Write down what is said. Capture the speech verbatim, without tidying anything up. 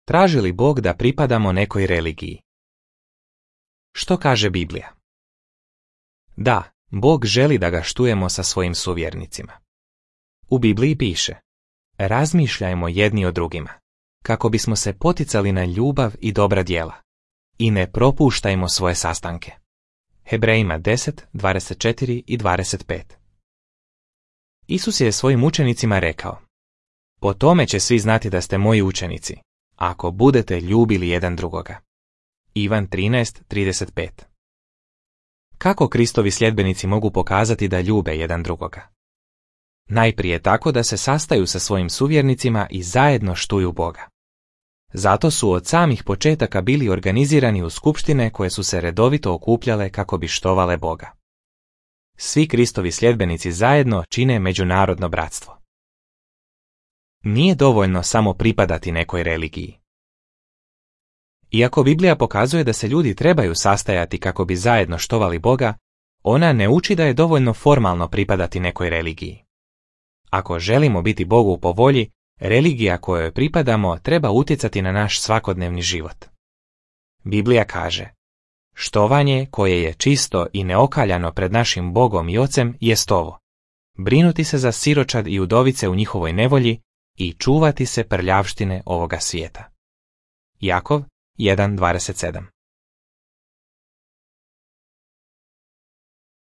traži li Bog da pripadamo nekoj religiji? Što kaže Biblija? Da, Bog želi da ga štujemo sa svojim suvjernicima. U Bibliji piše: razmišljajmo jedni o drugima, kako bismo se poticali na ljubav i dobra djela, i ne propuštajmo svoje sastanke. Hebrejima deset, dvadeset četiri i dvadeset pet. Isus je svojim učenicima rekao: po tome će svi znati da ste moji učenici, ako budete ljubili jedan drugoga. Ivan trinaest, trideset pet. Kako Kristovi sljedbenici mogu pokazati da ljube jedan drugoga? Najprije tako da se sastaju sa svojim suvjernicima i zajedno štuju Boga. Zato su od samih početaka bili organizirani u skupštine koje su se redovito okupljale kako bi štovale Boga. Svi Kristovi sljedbenici zajedno čine međunarodno bratstvo. Nije dovoljno samo pripadati nekoj religiji. Iako Biblija pokazuje da se ljudi trebaju sastajati kako bi zajedno štovali Boga, ona ne uči da je dovoljno formalno pripadati nekoj religiji. Ako želimo biti Bogu po volji, religija kojoj pripadamo treba utjecati na naš svakodnevni život. Biblija kaže: štovanje koje je čisto i neokaljano pred našim Bogom i Ocem jest ovo: brinuti se za siročad i udovice u njihovoj nevolji i čuvati se prljavštine ovoga svijeta. Jakov jedan dvadeset sedam.